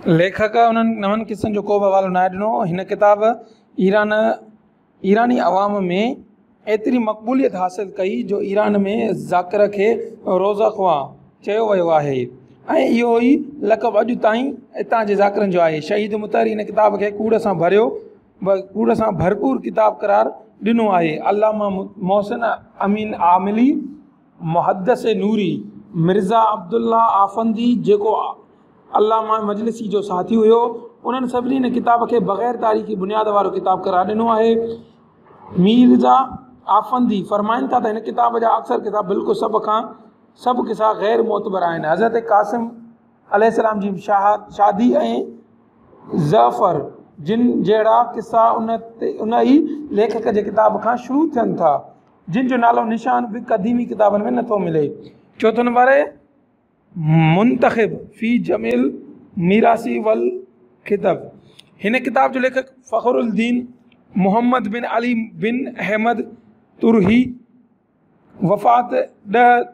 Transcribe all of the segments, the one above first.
ليکڪ انهن نون قصن جو ڪو به حوالو ناهي ڏنو. هن ڪتاب ايران ايراني عوام ۾ ايتري مقبوليت حاصل ڪئي جو ايران ۾ ذاڪر کي روضه خوان چيو ويو آهي ۽ اهو ئي لقب اڄ تائين اتان جي ذاڪرن جو آهي. شهيد مطهري هن ڪتاب کي ڪوڙ سان ڀريو ڪوڙ سان ڀرپور ڪتاب قرار ڏنو آهي. علامه محسن امين عاملي، محدث نوري، مرزا عبدالله آفندي جيڪو علامه مجلسي جو ساٿي هيو، انهن سڀني هن ڪتاب کي بغير تاريخي بنياد وارو ڪتاب قرار ڏنو آهي. ميرزا آفندي فرمائن ٿا ته هن ڪتاب جا اڪثر قصا بلڪ سڀ کان سڀ قصا غير معتبر آهن. حضرت قاسم عليه السلام جي شادي ۽ جعفر جن جهڙا قصا ان ئي ليکڪ جي ڪتاب کان شروع ٿين ٿا، جن جو نالو نشان به قديمي ڪتابن ۾ نٿو ملي. چوٿون نمبر آهي. منتخب في جمع الميراث والخطب هن ڪتاب جو ليکڪ فخر الدين محمد بن علي بن احمد طرحي وفات 10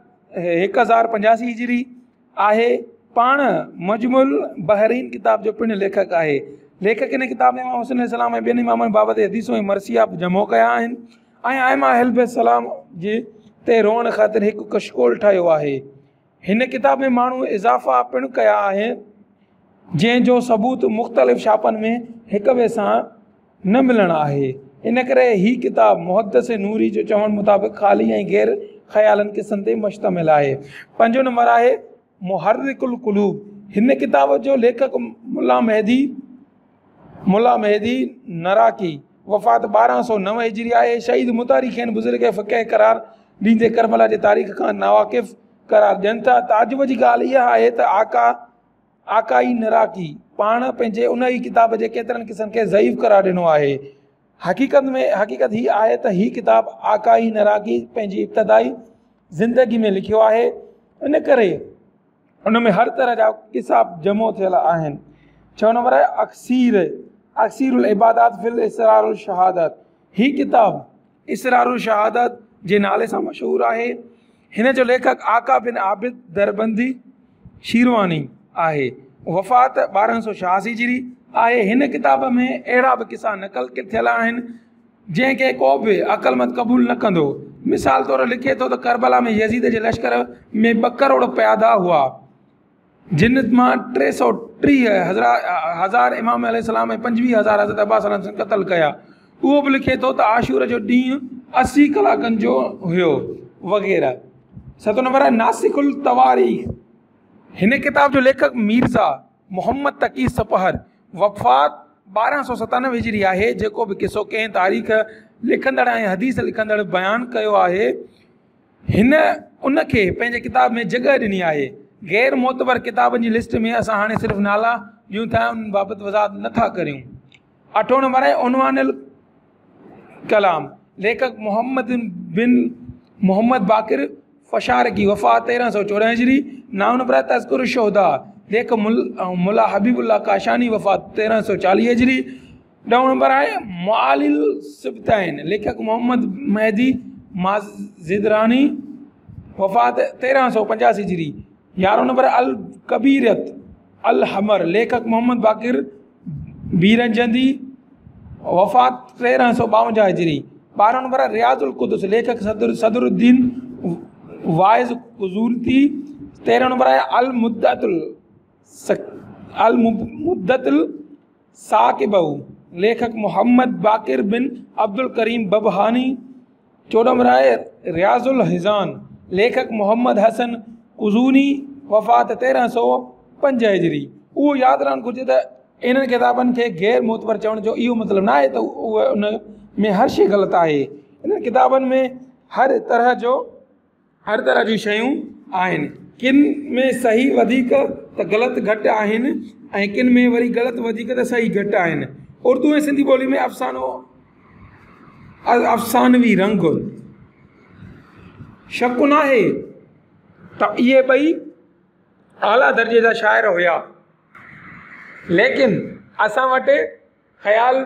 1085 هجري آهي. پاڻ مجمع البحرين ڪتاب جو پڻ ليکڪ آهي. ليکڪ هن ڪتاب ۾ امام حسين عليه السلام ۽ ٻين امامن بابت حديثون ۽ مرثيا جمع ڪيا آهن ۽ ائمه اهل بيت سلام جي تي روئڻ خاطر هڪ ڪشڪول ٺاهيو آهي. هن ڪتاب ۾ ماڻهو اضافا پڻ ڪيا آهن، جنهن جو ثبوت مختلف ڇاپن ۾ هڪ ٻئي سان نه ملڻ آهي. ان ڪري هي ڪتاب محدث نوري جو چوڻ مطابق خالي ۽ غير خيالن قصن تي مشتمل آهي. پنجون نمبر آهي محرڪ القلوب. هن ڪتاب جو ليکڪ ملا مهدي ملا مهدي نراقي وفات 1209 هجري آهي. شهيد مطهري کين بزرگ فقيه قرار ڏيندي ڪربلا جي تاريخ کان ناواقف قرار ڏين ٿا. تعجب جي ڳالهه اها آهي ته آقا آقائي نراقي پاڻ پنهنجي ان ئي ڪتاب جي ڪيترن قصن کي ضعيف قرار ڏنو آهي. حقيقت ۾ حقيقت هي آهي ته هي ڪتاب آقائي نراقي پنهنجي ابتدائي زندگي ۾ لکيو آهي، ان ڪري ان ۾ هر طرح جا قصا جمع ٿيل آهن. ڇهون نمبر آهي اڪسير، اڪسير العبادات في الاسرار الشهادت. هي ڪتاب اسرار الشهادت جي نالي سان مشهور آهي. هن جو ليکڪ آقا بن عابد دربندي شيرواني آهي. وفات 1286 هجري آهي. هن ڪتاب ۾ اهڙا به قصا نقل ٿيل آهن جنهن کي ڪو به عقلمند قبول نه ڪندو. مثال طور لکي ٿو ته ڪربلا ۾ يزيد جي لشڪر ۾ 2 ڪروڙ پيادا هئا، جن مان 330 هزار امام عليه السلام ۽ 25 هزار حضرت عباس عليه السلام قتل ڪيا. اهو به لکي ٿو ته عاشور جو ڏينهن 80 ڪلاڪن جو هيو وغيره. ستون نمبر آهي ناسخ التواريخ. هن ڪتاب جو ليکڪ ميرزا محمد تقي سپهر وفات 1297 هجري آهي. جيڪو به قصو ڪنهن تاريخ لکندڙ ۽ حديث لکندڙ بيان ڪيو آهي، هن ان کي پنهنجي ڪتاب ۾ جڳهه ڏني آهي. غير معتبر ڪتابن جي لسٽ ۾ اسان هاڻي صرف نالا ڏيون ٿا، انهن بابت وضاحت نه ٿا ڪريون. اٺون نمبر آهي عنوان الڪلام، ليکڪ محمد بن محمد باقر فشارقي، وفات 1314 هجري. نائون نمبر آهي تذڪر الشهداء، ليکڪ ملا حبيب الله ڪاشاني، وفات 1340 هجري. ڏهون نمبر آهي معالي السبطين، ليکڪ محمد مهدي مازندراني، وفات 1385 هجري. يارهون نمبر الڪبيرت الحمر، ليکڪ محمد باقر بيرجندي، وفات 1352 هجري. 12 نمبر رياض القدس، ليکڪ صدر الدين واعظ قزورتي. 13 نمبر آهي المدة الثاقبه، ليکڪ محمد باقر بن عبدالڪريم ببهاني. 14 نمبر آهي رياض الحزان، ليکڪ محمد حسن قزوني، وفات 1305 هجري. اهو ياد رهڻ گهرجي ته انهن ڪتابن کي غير معتبر چوڻ جو اهو مطلب نه آهي ته اهي ان ۾ هر شيء غلط آهي. انهن ڪتابن ۾ هر طرح جو هر طرح جون شيون آهن. ڪن ۾ صحيح وڌيڪ ته غلط گهٽ آهن ۽ ڪن ۾ وري غلط وڌيڪ ته صحيح گهٽ آهن. اردو ۽ سنڌي ٻولي ۾ افسانو افسانوي رنگ شڪ ناهي ته اهي ٻئي اعليٰ درجي جا شاعر هيا، ليڪن اسان وٽ خيال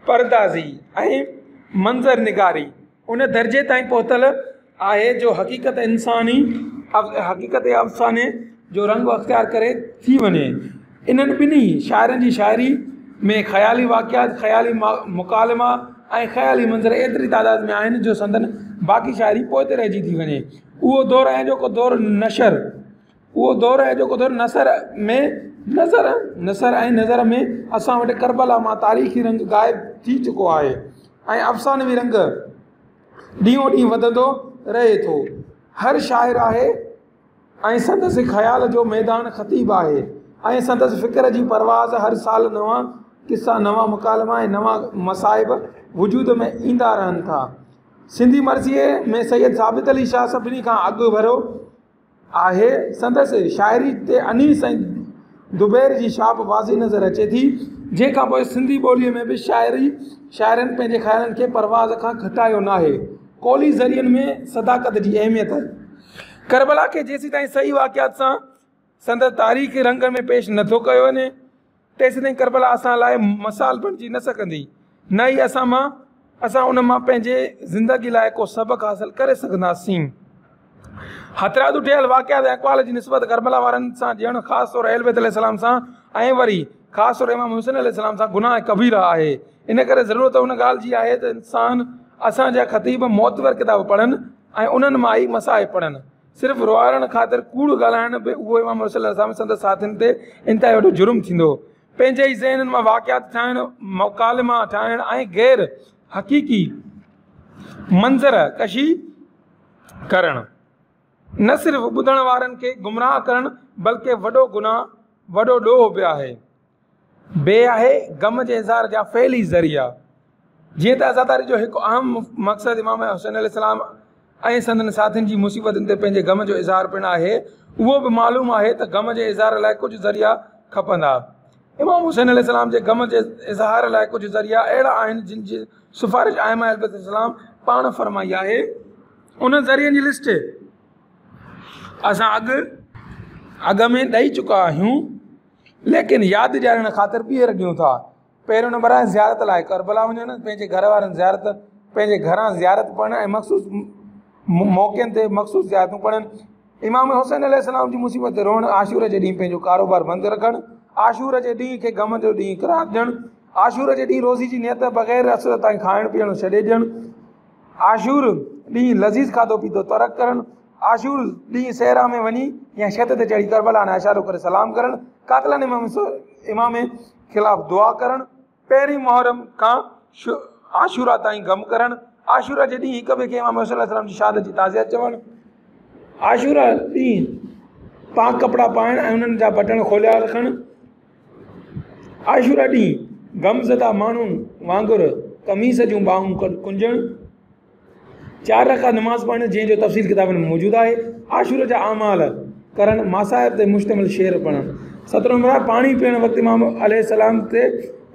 پردازي ۽ منظر نگاري ان درجي تائين پهتل آهي جو حقيقت انساني حقيقت افساني جو رنگ اختيار ڪري ٿي وڃي. انهن ٻنهي شاعرن جي شاعري ۾ خيالي واقعات، خيالي مڪالما ۽ خيالي منظر ايتري تعداد ۾ آهن جو سندن باقي شاعري پوئتي رهجي ٿي وڃي. اهو دور ۽ اڄوڪو دور نشر اهو دور ۽ اڄوڪو دور نثر ۾ نظر نثر ۽ نظر ۾ اسان وٽ ڪربلا مان تاريخي رنگ غائب ٿي چڪو آهي ۽ افسانوي رنگ ڏينهون ڏينهن وڌندو رهي ٿو. هر شاعر آهي. ۽ سندس خيال جو ميدان خطيب آهي ۽ سندس فڪر جي پرواز هر سال نوان قصا، نوان مڪالما ۽ نوان مصائب وجود ۾ ايندا رهن ٿا. سنڌي مرثيي ۾ سيد ثابت علي شاهه سڀني کان اڳڀرو آهي. سندس شاعري تي انيس ۽ دبير جي ڇاپ واضح نظر اچي ٿي، جنهن کان پوء سنڌي ٻوليء ۾ به شاعري شاعرن پنهنجي خيالن کي پرواز کان گهٽايو ناهي. قولي ذريعن ۾ صداقت جي اهميت. ڪربلا کي جيسيتائين صحيح واقعات سان سندس تاريخي رنگ ۾ پيش نه ٿو ڪيو وڃي، تيسيتائين ڪربلا اسان لاء مثال بڻجي نه سگهندي، نه ئي اسان مان اسان ان مان پنهنجي زندگي لاء ڪو سبق حاصل ڪري سگهنداسين. هٿرادو ٺهيل واقعات ۽ اقوال جي نسبت ڪربلا وارن سان ڏيڻ خاص طور اهل بيت عليه السلام سان ۽ وري خاص طور امام حسين عليه السلام سان گناهه ڪبيره آهي. ان ڪري ضرورت ان ڳالهه جي آهي ته انسان اسان جا خطيب معتبر ڪتاب پڙهن ۽ انهن مان ئي مصائب پڙهن. صرف روئارڻ خاطر ڪوڙ ڳالهائڻ به اهو امام حسين عليه السلام سندس ساٿين تي انتهائي وڏو جرم ٿيندو. پنهنجي ئي ذهنن مان واقعات ٺاهڻ، مڪالما ٺاهڻ ۽ غير حقيقي منظر ڪشي ڪرڻ نه صرف ٻڌڻ وارن کي گمراهه ڪرڻ بلڪه وڏو گناهه، وڏو ڏوهه به آهي. به آهي غم جي اظهار جا فعلي ذريعا. جيئن ته عزاداري جو هڪ اهم مقصد امام حسين عليه السلام ۽ سندن ساٿين جي مصيبتن تي پنهنجي غم جو اظهار پڻ آهي، اهو به معلوم آهي ته غم جي اظهار لاء ڪجهه ذريعا کپندا. امام حسين عليه السلام جي غم جي اظهار لاء ڪجهه ذريعا اهڙا آهن جن جي سفارش ائمه اهل بيت السلام پاڻ فرمائي آهي. انهن ذريعن جي لسٽ اسان اڳ اڳ ۾ ڏئي چڪا آهيون. ليڪن ياد ڏيارڻ خاطر ٻيهر ڏيون ٿا. پهريون نمبر آهي زيارت لاء ڪربلا وڃڻ، پنهنجي گهر وارن زيارت، پنهنجي گهران زيارت پڙهڻ ۽ مخصوص موقعن تي مخصوص زيارتون پڙهڻ. امام حسين عليه السلام جي مصيبت تي روئڻ، عاشور جي ڏينهن پنهنجو ڪاروبار بند رکڻ، عاشور جي ڏينهن کي غم جو ڏينهن قرار ڏيڻ، عاشور جي ڏينهن روزي جي نيت بغير عصر تائين کائڻ پيئڻ ڇڏي ڏيڻ، عاشور ڏينهن لذيذ کاڌو پيتو ترڪ ڪرڻ، عاشور ڏينهن صحرا ۾ وڃي يا ڇت تي چڙهي ڪربلا ڏانهن اشارو ڪري سلام ڪرڻ، قاتلن امام خلاف دعا ڪرڻ، پهرين محرم کان عاشورا تائين غم ڪرڻ، عاشورا جي ڏينهن هڪ ٻئي کي امام حسين عليه السلام جي شهادت جي تعزيت چوڻ، عاشورا ڏينهن پاڪ ڪپڙا پائڻ ۽ انهن جا بٽڻ کوليا رکڻ، عاشورا ڏينهن غمزده ماڻهن وانگر قميص جون ٻانهون ڪنجڻ، چار رڪعت نماز پڙهڻ جنهن جو تفصيل ڪتابن ۾ موجود آهي، عاشور جا اعمال ڪرڻ، مصائب تي مشتمل شعر پڙهڻ. سترهون نمبر آهي پاڻي پيئڻ وقت امام عليه السلام تي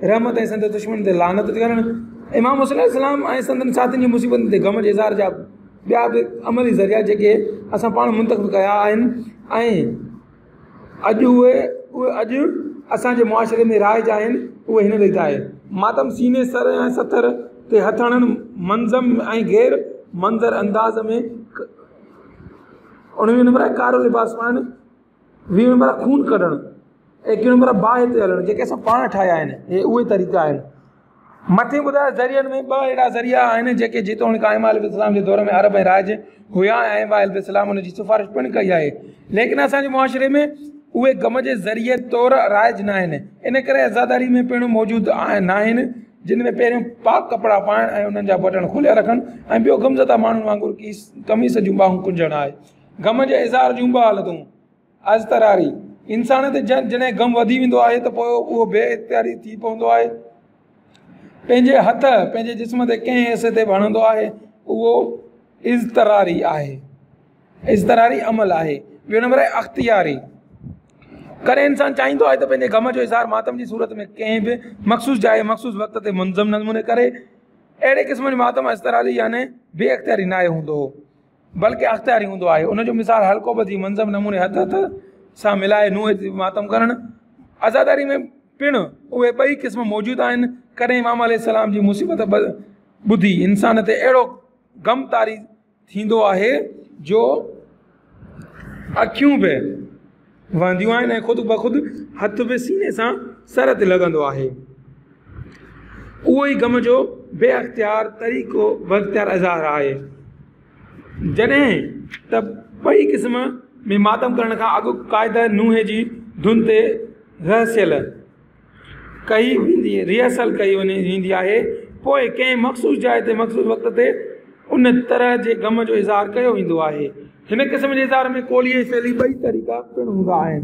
رحمت ۽ سندس دشمن تي لعنت ڪرڻ. امام حسين عليه السلام ۽ سندن ساٿين جي مصيبتن تي غم جي اظهار جا ٻيا به عملي ذريعا جيڪي اسان پاڻ منتخب ڪيا آهن ۽ اڄ اهي اهي اڄ اسان جي معاشري ۾ رائج آهن اهي هن ريت آهي. ماتم سيني سر ۽ ستر تي هٿ هڻڻ منظم ۽ غير منظر انداز ۾ اڻويهون نمبر آهي ڪارو لباس پائڻ ويهون نمبر آهي خون ڪڍڻ ايڪويهون نمبر آهي باهه تي هلڻ جيڪي اسان پاڻ ٺاهيا آهن اهي اهي طريقا آهن. مٿي ٻڌايل ذريعن ۾ ٻه اهڙا ذريعا آهن جيڪي جيتوڻيڪ ائمه عليه السلام جي دور ۾ عرب ۽ رائج هيا ۽ ائمه عليه السلام ان جي سفارش پڻ ڪئي آهي ليڪن اسان جي معاشري ۾ اهي غم جي ذريعي طور رائج ناهن ان ڪري عزاداري ۾ پڻ موجود ناهن جن ۾ پهريون پاڪ ڪپڙا پائڻ ۽ انهن جا بٽڻ کوليا رکڻ ۽ ٻيو غمزده ماڻهن وانگر قميص جون ٻانهون ڪنجڻ آهي. غم جي اظهار جون ٻه حالتون. اضطراري، انسان تي جڏهن غم وڌي ويندو آهي ته پوء اهو بي اختياري ٿي پوندو آهي. پنهنجي هٿ پنهنجي جسم تي ڪنهن حصي تي به هڻندو آهي اهو اضطراري آهي. اضطراري عمل آهي. ٻيو نمبر آهي اختياري. ڪڏهن انسان چاهيندو آهي ته پنهنجي غم جو اظهار ماتم جي صورت ۾ ڪنهن به مخصوص جاء مخصوص وقت تي منظم نموني ڪري. اهڙي قسم جو ماتم اضطراري يعني بي اختياري ناهي هوندو. بلڪه اختياري هوندو آهي. ان جو مثال حلقو ٻڌي منظم نموني هٿ هٿ سان ملائي نوحي تي ماتم ڪرڻ. عزاداري ۾ پڻ اهي ٻئي قسم موجود آهن. ڪڏهن امام عليه السلام جي مصيبت ٻڌي انسان تي اهڙو غم طاري ٿيندو آهي جو اکيون به وهنديون آهن ۽ خود بخود هٿ به سيني سان سر تي لڳندو آهي. اهو ئي غم جو بي اختيار طريقو بي اختيار اظهار آهي. جڏهن ته ٻئي قسم ۾ ماتم ڪرڻ کان اڳ قاعده نوحي جي ڌن تي رهرسل ڪئي ويندي ريهرسل ڪئي ويندي آهي. پوء ڪنهن مخصوص جاء تي مخصوص وقت تي ان طرح جي غم جو اظهار ڪيو ويندو آهي. هن قسم جي اظهار ۾ قولي ۽ فعلي ٻئي طريقا پڻ هوندا آهن.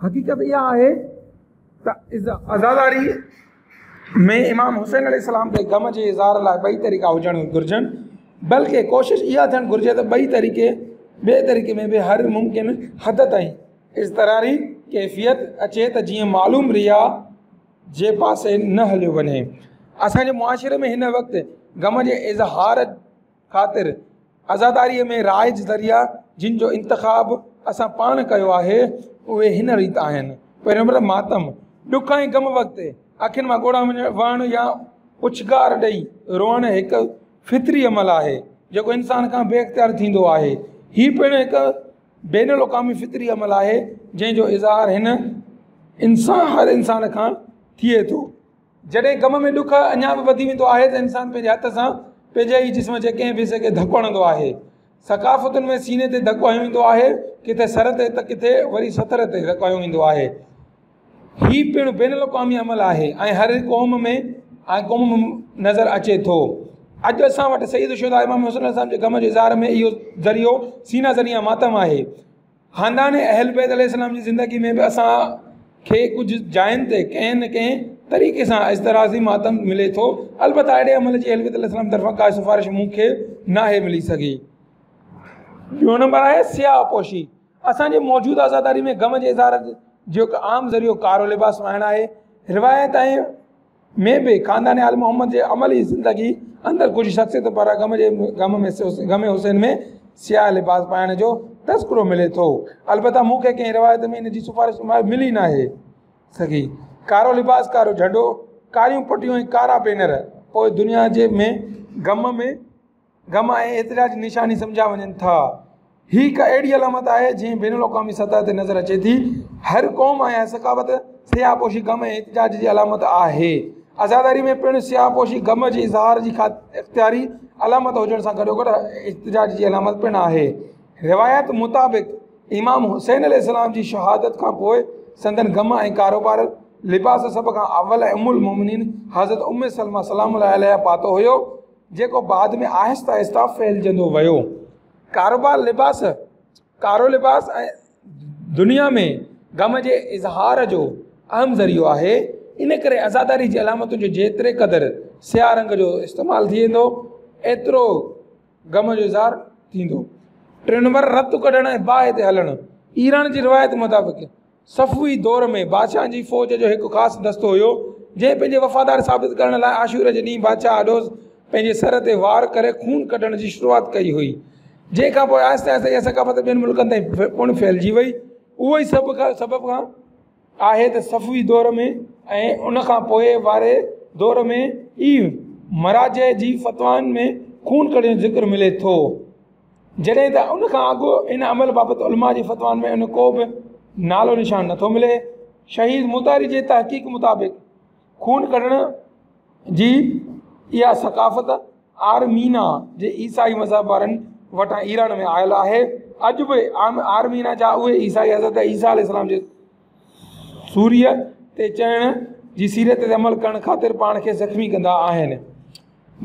حقيقت اها آهي ته عزاداري ۾ امام حسين عليه السلام تي غم جي اظهار لاء ٻئي طريقا هجڻ گهرجن، بلڪه ڪوشش اها ٿيڻ گهرجي ته ٻئي طريقي ٻئي طريقي ۾ به هر ممڪن حد تائين اضطراري ڪيفيت اچي ته جيئن معلوم رياء جي پاسي نه هليو وڃي. اسان جي معاشري ۾ هن وقت غم جي اظهار خاطر عزاداريء ۾ رائج ذريعا جن جو انتخاب اسان پاڻ ڪيو آهي، اهي هن ريت آهن. پهريون نمبر ماتم، ڏک ۽ غم وقت اکين مان ڳوڙها وهڻ يا اڇگار ڏئي روئڻ هڪ فطري عمل آهي، جيڪو انسان کان بي اختيار ٿيندو آهي. هي پڻ هڪ بين الاقوامي فطري عمل آهي، جنهن جو اظهار هن انسان هر انسان کان ٿئي ٿو. جڏهن غم ۾ ڏک اڃا به وڌي ويندو آهي ته انسان پنهنجي هٿ سان پنهنجي ئي جسم جي ڪنهن به حصي کي ڌڪ هڻندو آهي. ثقافتن ۾ سيني تي ڌڪ هنيو ويندو آهي، ڪٿي سر تي ته ڪٿي وري ستر تي ڌڪ هنيو ويندو آهي. هي پڻ بين الاقوامي عمل آهي ۽ هر قوم ۾ ۽ قوم ۾ نظر اچي ٿو. اڄ اسان وٽ سيد الشهداء امام حسين عليه السلام جي غم جي اظهار ۾ اهو ذريعو سينه زني يا ماتم آهي. خاندان اهل بيت عليه السلام جي زندگي ۾ به اسان کي ڪجهه جاين تي ڪنهن نه ڪنهن طريقي سان اضطراري ماتم ملي ٿو. البته اهڙي عمل جي اهل بيت عليه السلام طرفان ڪا سفارش مون کي ناهي ملي سگهي. ٻيو نمبر آهي سياه پوشي. اسان جي موجوده عزاداري ۾ غم جي اظهار جو هڪ عام ذريعو ڪارو لباس پائڻ آهي. روايت ۽ ۾ به خاندان آل محمد جي عملي زندگي اندر ڪجهه شخصيت پاران غم جي غم ۾ غم حسين ۾ سياه لباس پائڻ جو تذڪرو ملي ٿو. البته مون کي ڪنهن روايت ۾ ان جي سفارش ملي ناهي سگهي. ڪارو لباس، ڪارو جهنڊو، ڪاريون پٽيون ۽ ڪارا بينر پوء دنيا جي ۾ غم ۾ غم ۽ احتجاج جي نشاني سمجهيا وڃن ٿا. هي هڪ اهڙي علامت آهي جنهن بين الاقوامي سطح تي نظر اچي ٿي. هر قوم ۽ ثقافت سياه پوشي غم ۽ احتجاج جي علامت آهي. عزاداري ۾ پڻ سياه پوشي غم جي اظهار جي اختياري علامت هجڻ سان گڏوگڏ احتجاج جي علامت پڻ آهي. روايت مطابق امام حسين عليه السلام جي شهادت کان پوء سندن غم ۽ ڪاروبار لباس سڀ کان اول ام المومنين حضرت ام سلمه سلام الله عليها پاتو هيو. جيڪو بعد ۾ آهستي آهستي ڦهلجندو ويو. ڪاروبار لباس، ڪارو لباس ۽ دنيا ۾ غم جي اظهار جو اهم ذريعو آهي، ان ڪري عزاداري جي علامتن جو جيتري قدر سياه رنگ جو استعمال ٿيندو، ايترو غم جو اظهار ٿيندو. ٽيون نمبر رت ڪڍڻ ۽ باهه تي هلڻ، ايران جي روايت مطابق صفوي دور ۾ بادشاهن جي فوج جو هڪ خاص دستو هيو، جنهن پنهنجي وفادار ثابت ڪرڻ لاء عاشور جي ڏينهن بادشاهه آڏو پنهنجي سر تي وار ڪري خون ڪڍڻ جي شروعات ڪئي هئي، جنهن کان پوء آهستي آهستي اها ثقافت ٻين ملڪن تائين پڻ ڦهلجي وئي. اهو ئي سبب آهي ته صفوي دور ۾ ۽ ان کان پوء واري دور ۾ ئي مراجع جي فتوائن ۾ خون ڪڍڻ جو ذڪر ملي ٿو. جڏهن ته ان کان اڳ ان عمل بابت علماء جي فتوائن ۾ ان ڪو به نالو نشان نٿو ملي. شهيد مطهري جي تحقيق مطابق خون ڪڍڻ جي اها ثقافت آرمينا جي عيسائي مذهب وارن وٽان ايران ۾ آيل آهي. اڄ به آرمينا جا اهي عيسائي حضرت عيسيٰ عليه السلام جي سوريء تي چڙهڻ جي سيرت تي عمل ڪرڻ خاطر پاڻ کي زخمي ڪندا آهن.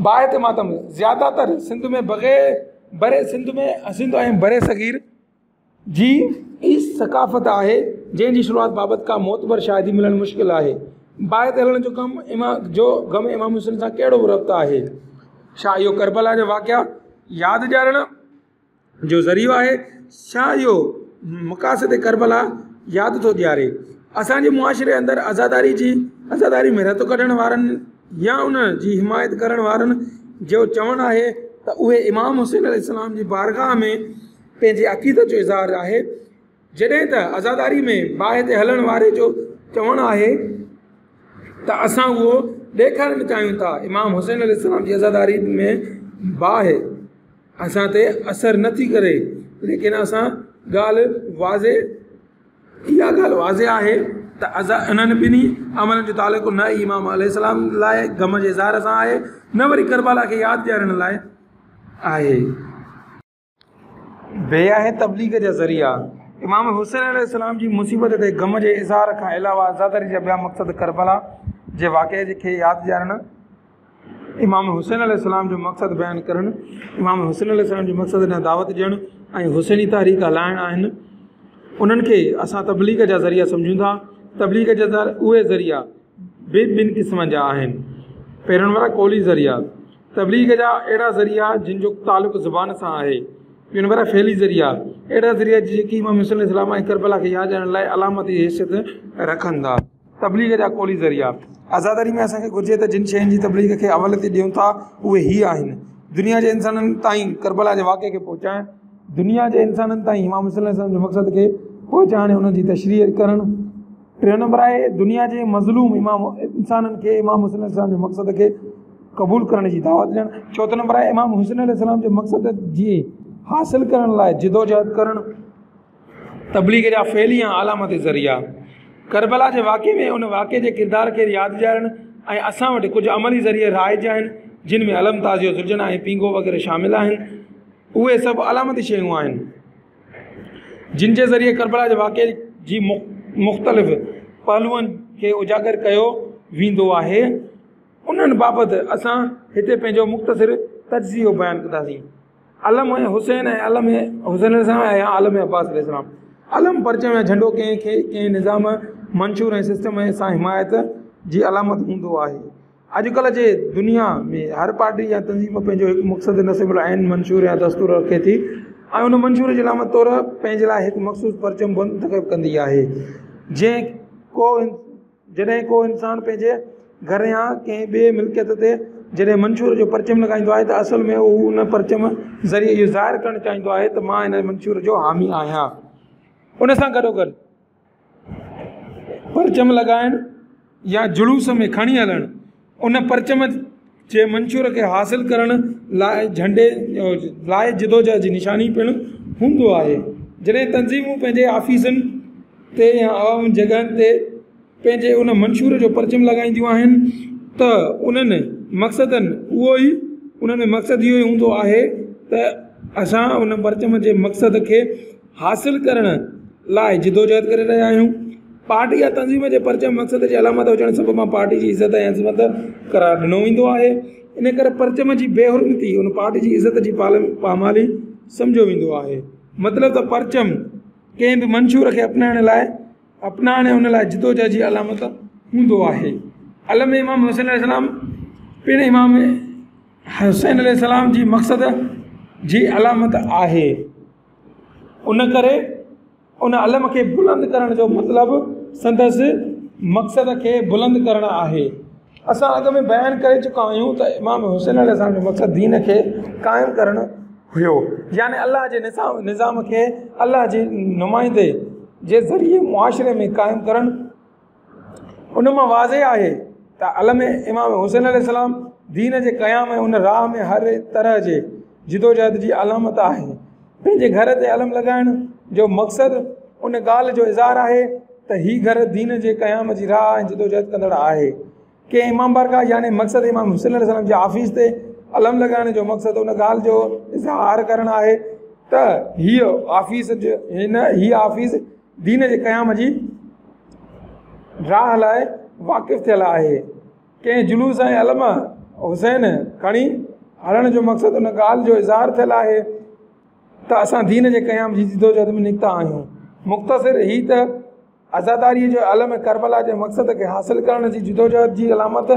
باهه تي ماتم زياده تر سنڌ ۾ بغير بري سنڌ ۾ سنڌ ۽ برصغير جي ئي ثقافت آهي جنهن جي شروعات بابت ڪا معتبر شاهدي ملڻ مشڪل آهي. باهه تي هلڻ جو ڪم امام جو غم امام حسين سان ڪهڙو ربط آهي؟ ڇا اهو ڪربلا جا واقعا ياد ڏيارڻ جو ذريعو آهي؟ ڇا اهو مقاصد ڪربلا ياد ٿو ڏياري؟ اسان جي معاشري اندر عزاداري جي عزاداري ۾ رت ڪڍڻ وارن يا ان جي حمايت ڪرڻ وارن جو چوڻ آهي ته اهي امام حسين عليه السلام جي بارگاهه ۾ پنهنجي عقيدت جو اظهار آهي، جڏهن ته عزاداري ۾ باهه تي هلڻ واري جو چوڻ آهي ته اسان اهو ڏيکارڻ چاهيون ٿا امام حسين عليه السلام جي عزاداري ۾ باهه اسان تي اثر نه ٿي ڪري ليڪن اسان ڳالهه واضح اها ڳالهه واضح آهي ته انهن ٻنهي عملن جو تعلق نه ئي امام عليه السلام لاء غم جي اظهار سان آهي نه وري ڪربلا کي ياد ڏيارڻ لاء آهي. بي آهي تبليغ جا ذريعا. امام حسين عليه السلام جي مصيبت تي غم جي اظهار کان علاوه عزاداري جا ٻيا مقصد ڪربلا جي واقعي کي ياد ڏيارڻ، امام حسين عليه السلام جو مقصد بيان ڪرڻ، امام حسين عليه السلام جي مقصد ڏانهن دعوت ڏيڻ ۽ حسيني تحريڪ هلائڻ آهن. انهن کي اسان تبليغ جا ذريعا سمجهون ٿا. تبليغ جا اهي ذريعا به ٻن قسمن جا آهن. پهريون نمبر آهي قولي ذريعا. تبليغ جا اهڙا ذريعا جن جو تعلق زبان سان آهي. ٻيو نمبر آهي فعلي ذريعا. اهڙا ذريعا جيڪي امام حسين عليه السلام ۽ ڪربلا کي ياد ڏيارڻ لاء علامتي حيثيت رکن ٿا. تبليغ جا قولي ذريعا. عزاداري ۾ اسان کي گهرجي ته جن شين جي تبليغ کي اوليت ڏيون ٿا اهي هي آهن، دنيا جي انسانن تائين ڪربلا جي واقعي کي پهچائڻ، دنيا جي انسانن تائين امام حسين عليه السلام جي مقصد کي پهچائڻ ۽ ان جي تشريح ڪرڻ. ٽيون نمبر آهي دنيا جي مظلوم امام انسانن کي امام حسين عليه السلام جي مقصد کي قبول ڪرڻ جي دعوت ڏيڻ. چوٿون نمبر آهي امام حسين عليه السلام جي مقصد جي حاصل ڪرڻ لاء جدوجهد ڪرڻ. تبليغ جا فعلي يا علامتي ذريعا. ڪربلا جي واقعي ۾ ان واقعي جي ڪردار کي ياد ڏيارڻ ۽ اسان وٽ ڪجهه عملي ذريعا رائج آهن، جن ۾ علم، تعزيو، ذوالجناح ۽ پينگهو وغيره شامل آهن. اهي سڀ علامتي شيون آهن، جن جي ذريعي ڪربلا جي واقعي جي مختلف پهلوئن کي اجاگر ڪيو ويندو آهي. انهن بابت اسان هتي پنهنجو مختصر تجزيو بيان ڪنداسين. علم حسين ۽ علم حسين عليه السلام ۽ علم عباس عليه السلام. علم پرچم يا جهنڊو ڪنهن کي ڪنهن نظام، منشور ۽ سسٽم سان حمايت جي علامت هوندو آهي. اڄڪلهه جي دنيا ۾ هر پارٽي يا تنظيم پنهنجو هڪ مقصد، نصب العين، منشور يا دستور رکي ٿي ۽ ان منشور جي علامت طور پنهنجي لاء هڪ مخصوص پرچم منتخب ڪندي آهي. جنهن ڪو جڏهن ڪو انسان پنهنجي گهر يا ڪنهن ٻئي ملڪيت تي جڏهن منشور جو پرچم لڳائيندو آهي ته اصل ۾ هو ان پرچم ذريعي اهو ظاهر ڪرڻ چاهيندو آهي ته مان ان منشور جو حامي آهيان. ان سان گڏوگڏ پرچم لڳائڻ يا جلوس ۾ کڻي هلڻ ان پرچم جي منشور کي حاصل ڪرڻ لاء جهنڊي لاء جدوجهد جي نشاني پڻ هوندو آهي. جڏهن تنظيمون پنهنجي آفيسن تي يا عوام جڳهن تي پنهنجي ان منشور جو پرچم لڳائينديون آهن ته انهن مقصدن اهو ئي انهن ۾ مقصد اهو ئي هوندو آهي ته اسان ان پرچم جي مقصد کي حاصل ڪرڻ لاء جدوجهد ڪري رهيا آهيون. پارٽي يا تنظيم جي پرچم مقصد جي علامت هجڻ سبب پارٽي جي عزت ۽ عظمت قرار ڏنو ويندو آهي. ان ڪري پرچم جي بي حرمتي ان پارٽي جي عزت جي پامالي سمجهيو ويندو آهي. مطلب ته پرچم ڪنهن به منشور کي اپنائڻ لاء اپنائڻ ۽ ان لاء جدوجهد جي علامت هوندو آهي. علم امام حسين عليه السلام پڻ امام حسين عليه السلام جي مقصد جي علامت آهي. ان ڪري ان علم کي بلند ڪرڻ جو مطلب سندس مقصد کي بلند ڪرڻ آهي. اسان اڳ ۾ بيان ڪري چڪا آهيون ته امام حسين عليه السلام جو مقصد دين کي قائم ڪرڻ هيو، يعني الله جي نظام کي الله جي نمائندي جي ذريعي معاشري ۾ قائم ڪرڻ. ان مان واضح آهي ته علم امام حسين عليه السلام دين جي قيام ۽ ان راهه ۾ هر طرح جي جدوجهد جي علامت آهي. پنهنجي گهر تي علم لڳائڻ جو مقصد ان ڳالهه جو اظهار آهي ته هي گهر دين جي قيام جي راهه ۽ جدوجهد ڪندڙ آهي. ڪنهن امام بارگاهه يعني مقصد امام حسين عليه السلام جي آفيس تي علم لڳائڻ جو مقصد ان ڳالهه جو اظهار ڪرڻ آهي ته هيء آفيس هن هيء آفيس دين جي قيام جي راهه لاء واقف ٿيل آهي. ڪنهن جلوس ۽ علم حسين کڻي هلڻ جو مقصد ان ڳالهه جو اظهار ٿيل آهي ته اسان دين جي قيام جي جدوجهد ۾ نڪتا آهيون. مختصر هي ته عزاداريء جو علم ڪربلا جي مقصد کي حاصل ڪرڻ جي جدوجهد جي علامت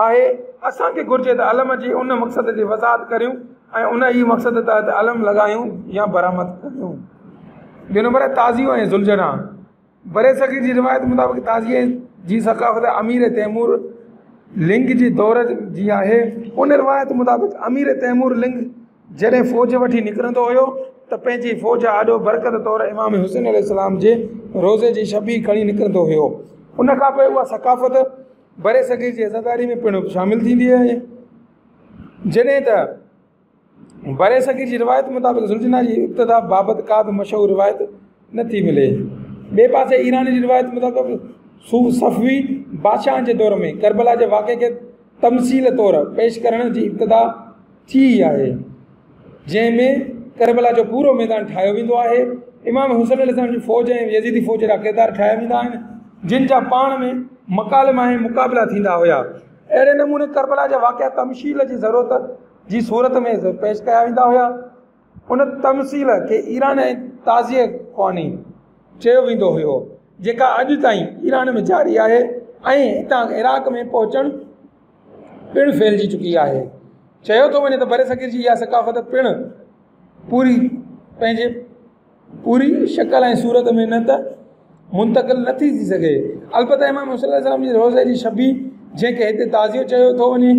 آهي. اسان کي گهرجي ته علم جي ان مقصد جي وضاحت ڪريون ۽ ان ئي مقصد تحت علم لڳايون يا برآمد ڪريون. ٻيو نمبر آهي تعزيو ۽ ذوالجناح. برصغير جي روايت مطابق تعزيي جي ثقافت امير تيمور لنگ جي دور جي آهي. ان روايت مطابق امير تيمور لنگ جڏهن فوج وٺي نڪرندو هيو ته پنهنجي فوج آڏو برڪت طور امام حسين عليه السلام جي روضي جي شبيهه کڻي نڪرندو هيو. ان کان پوء اها ثقافت برصغير جي عزاداري ۾ پڻ شامل ٿيندي آهي. جڏهن ته برصغير جي روايت مطابق ذوالجناح جي ابتدا بابت ڪا به مشهور روايت نه ٿي ملي. ٻئي پاسي ايران جي روايت مطابق صفوي بادشاهن جي دور ۾ ڪربلا جي واقعي کي تمثيل طور پيش ڪرڻ جي ابتدا ٿي آهي، جنهن ۾ ڪربلا جو پورو ميدان ٺاهيو ويندو آهي. امام حسين عليه السلام جي فوج ۽ يزيدي فوج جا ڪردار ٺاهيا ويندا آهن، جن جا پاڻ ۾ مڪالما ۽ مقابلا ٿيندا هيا. اهڙي نموني ڪربلا جا واقعا تمثيل جي ضرورت جي صورت ۾ پيش ڪيا ويندا هيا. ان تمثيل کي ايران ۽ تعزيه خواني چيو ويندو هيو، جيڪا اڄ تائين ايران ۾ جاري آهي ۽ هتان عراق ۾ پهچڻ پڻ ڦهلجي چڪي آهي. چيو ٿو وڃي ته برصغير جي اها ثقافت پڻ پوري پنهنجي پوري شڪل ۽ صورت ۾ نه ته منتقل نه ٿي ٿي سگهي. البته امام حسين عليه السلام جي روضي جي شبيهه جنهن کي هتي تعزيو چيو ٿو وڃي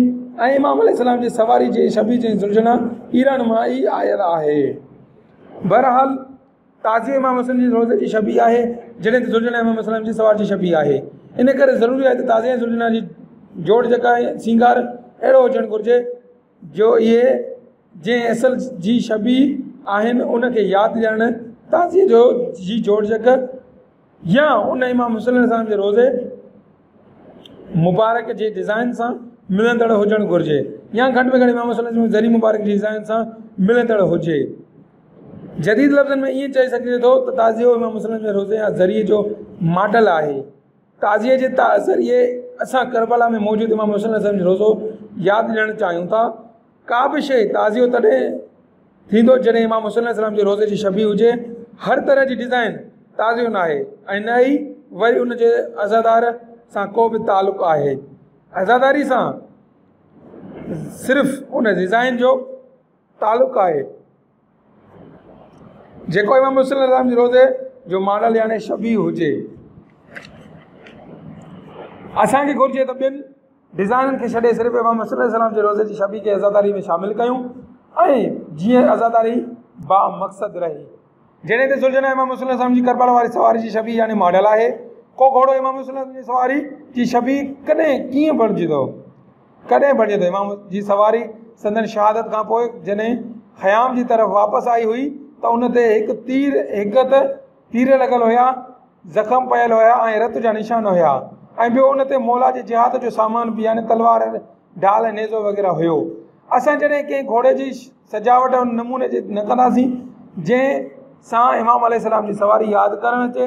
۽ امام عليه السلام جي سواري جي شبيهه جنهن ذوالجناح ايران مان ئي آيل آهي. بهرحال تعزيو امام حسين جي روضي جي شبيهه آهي جڏهن ته ذوالجناح امام عليه السلام جي سوار جي شبيهه آهي. ان ڪري ضروري آهي ته تعزيي ۽ ذوالجناح جي جوڙجڪ ۽ سينگار اهڙو هجڻ گهرجي جو اهي جنهن اصل جي شبيهه آهن ان کي ياد ڏيارڻ تعزيي جو جي جوڙجڪ يا ان امام حسين عليه السلام جي روضي مبارڪ جي ڊزائن سان ملندڙ هجڻ گهرجي يا گهٽ ۾ گهٽ امام حسين عليه السلام جي ضريح مبارڪ جي ڊزائن سان ملندڙ هجي. جديد لفظن ۾ ائين چئي سگهجي ٿو ته تعزيو امام حسين عليه السلام جي روضي يا ضريح جو ماڊل آهي. تعزيي جي ذريعي اسان ڪربلا ۾ موجود امام حسين عليه السلام جو روضو ياد ڏيڻ چاهيون ٿا. ڪا به شيء تعزيو تڏهن ٿيندو جڏهن امام حسين عليه السلام جي روضي جي شبيهه هجي. هر طرح جي ڊزائن تعزيو ناهي ۽ نه ئي وري ان جي عزادار سان ڪو به تعلق آهي. عزاداري سان صرف ان ڊزائن جو تعلق آهي. جيڪو امام حسين عليه السلام جي روضي جو ماڊل يعني شبيهه هجي. اسان کي گهرجي ته ٻين ڊزائنن کي ڇڏي صرف امام حسين عليه السلام جي روضي جي شبيهه کي عزاداري ۾ شامل ڪيون ۽ جيئن عزاداري با مقصد رهي. جڏهن ته ذوالجناح امام حسين عليه السلام جي ڪربلا واري سواري جي شبيهه يعني ماڊل آهي. ڪو گهوڙو امام حسين عليه السلام جي سواري جي شبيهه ڪڏهن ڪيئن بڻجي ٿو؟ ڪڏهن بڻجي ٿو؟ امام جي سواري سندن شهادت کان پوء جڏهن خيام جي طرف واپس آئي هئي ته ان تي هڪ تير هڪ ته تير لڳل هيا، زخم پيل هيا ۽ رت جا نشان هيا ۽ ٻيو ان تي مولا جي جهاد جو سامان به يعني تلوار، ڍال ۽ نيزو وغيره هيو. اسان جڏهن ڪنهن گهوڙي جي سجاوٽ ان نموني جي نه ڪنداسين جنهن سان امام عليه السلام جي سواري ياد ڪرڻ اچي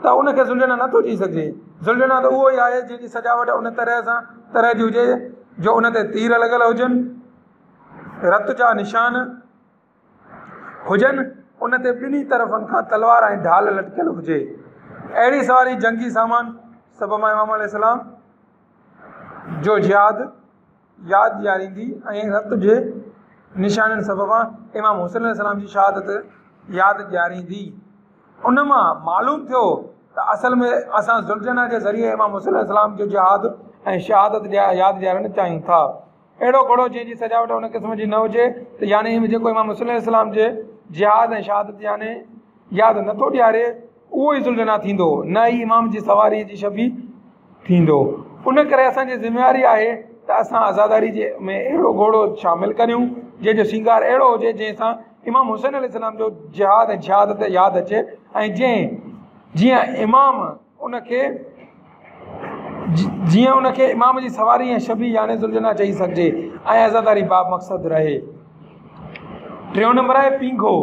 ته ان کي ذوالجناح نه ٿو چئي سگهجي. ذوالجناح ته اهو ئي آهي جنهن جي سجاوٽ ان طرح سان طرح جي هجي جو ان تي تير لڳل هجن، رت جا نشان هجن، ان تي ٻنهي طرفن کان تلوار ۽ ڍال لٽڪيل هجي. اهڙي سواري جنگي سامان سبب امام عليه السلام جو جهاد ياد ڏياريندي ۽ رت جي نشانين سببان امام حسين عليه السلام جي شهادت ياد ڏياريندي. ان مان معلوم ٿيو ته اصل ۾ اسان ذوالجناح جي ذريعي امام حسين عليه السلام جو جهاد ۽ شهادت ياد ڏيارڻ چاهيون ٿا. اهڙو گهوڙو جنهن جي سجاوٽ ان قسم جي نه هجي ته يعني جيڪو امام حسين عليه السلام جي جهاد ۽ شهادت يعني ياد نٿو ڏياري اهو ئي ذوالجناح ٿيندو نه ئي امام جي سواري جي شبيهه ٿيندو. ان ڪري اسان جي ذميواري آهي ته اسان عزاداري جي ۾ اهڙو گهوڙو شامل ڪريون جنهن جو سينگار اهڙو هجي جنهن سان امام حسين عليه السلام جو جهاد ۽ شهادت ياد اچي ۽ جنهن جيئن امام ان کي جيئن ان کي امام جي سواري ۽ شبيهه يعني ذوالجناح چئي سگهجي ۽ عزاداري با مقصد رهي. ٽيون نمبر آهي پينگهو.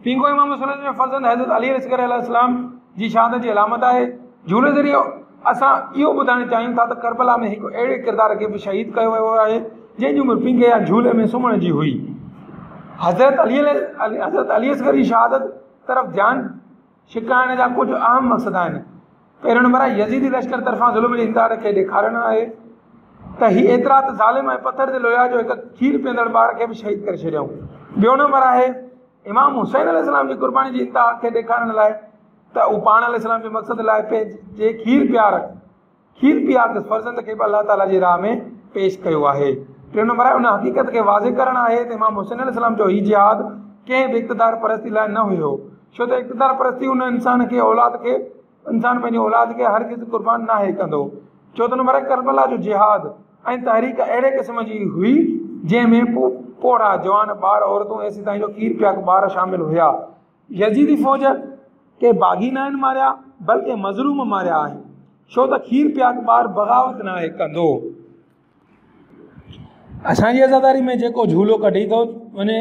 پينگهو امام حسين جي فرزند حضرت علي اصغر عليه السلام جي شهادت جي علامت آهي. جهولي ذريعي اسان اهو ٻڌائڻ چاهيون ٿا ته ڪربلا ۾ هڪ اهڙي ڪردار کي به شهيد ڪيو ويو آهي جنهن جي عمر پينگهي يا جهولي ۾ سمهڻ جي هئي. حضرت علي اصغر جي شهادت طرف ڌيان ڇڪائڻ جا ڪجهه اهم مقصد آهن. پهريون نمبر آهي يزيدي لشڪر طرفان ظلم جي انتها کي ڏيکارڻ آهي ته هي ايترا ته ظالم ۽ پٿر دل هيا جو هڪ کير پيئندڙ ٻار کي به شهيد ڪري ڇڏيائون. ٻيو نمبر آهي امام حسين عليه السلام جي قرباني جي انتها کي ڏيکارڻ لاء ته هو پاڻ عليه السلام جي مقصد لاء پنهنجي کير پيار کير پياڪ فرزند کي به الله تعاليٰ جي راهه ۾ پيش ڪيو آهي. ٽيون نمبر آهي ان حقيقت کي واضح ڪرڻ آهي ته امام حسين عليه السلام جو هي جهاد ڪنهن به اقتدار پرستي لاء نه هيو ڇو ته اقتدار پرستي ان انسان کي اولاد کي انسان پنهنجي اولاد کي هرگز قربان ناهي ڪندو. چوٿون نمبر آهي ڪربلا جو جهاد ۽ تحريڪ اهڙي قسم جي هئي جنهن ۾ پوڙها، جوان، ٻار، عورتون ايسيتائين جو کير پياڪ ٻار شامل هيا. يزيدي فوج ڪي باغي ناهن ماريا، بلڪه مظلوم ماريا آهن، ڇو ته کير پياڪ ٻار بغاوت ناهي ڪندو. اسان جي عزاداري ۾ جيڪو جهولو ڪڍي ٿو وڃي،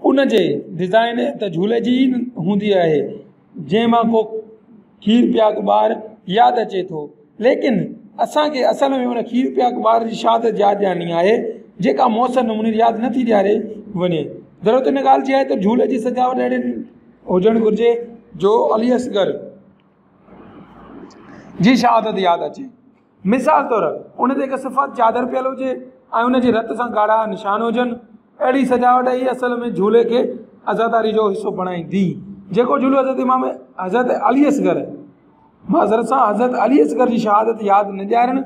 ان جي ڊزائن ته جهولي جي ئي هوندي آهي، جنهن مان ڪو کير پياڪ ٻار ياد اچي ٿو. ليڪن اسان کي اصل ۾ ان کير پياڪ ٻار جي شهادت ياد ڏيارڻي آهي، جيڪا موثر نموني ياد نٿي ڏياري وڃي. ضرورت ان ڳالهه جي آهي ته جهولي جي سجاوٽ اهڙي هجڻ گهرجي جو علي اصغر جي شهادت ياد اچي. مثال طور ان تي هڪ سفيد چادر پيل هجي ۽ ان جي رت سان ڳاڙها نشان هجن. اهڙي سجاوٽ ئي اصل ۾ جهولي کي عزاداري جو حصو بڻائيندي. جيڪو جهولو حضرت امام حضرت علي اصغر معذرت سان حضرت علي اصغر جي شهادت ياد نه ڏيارڻ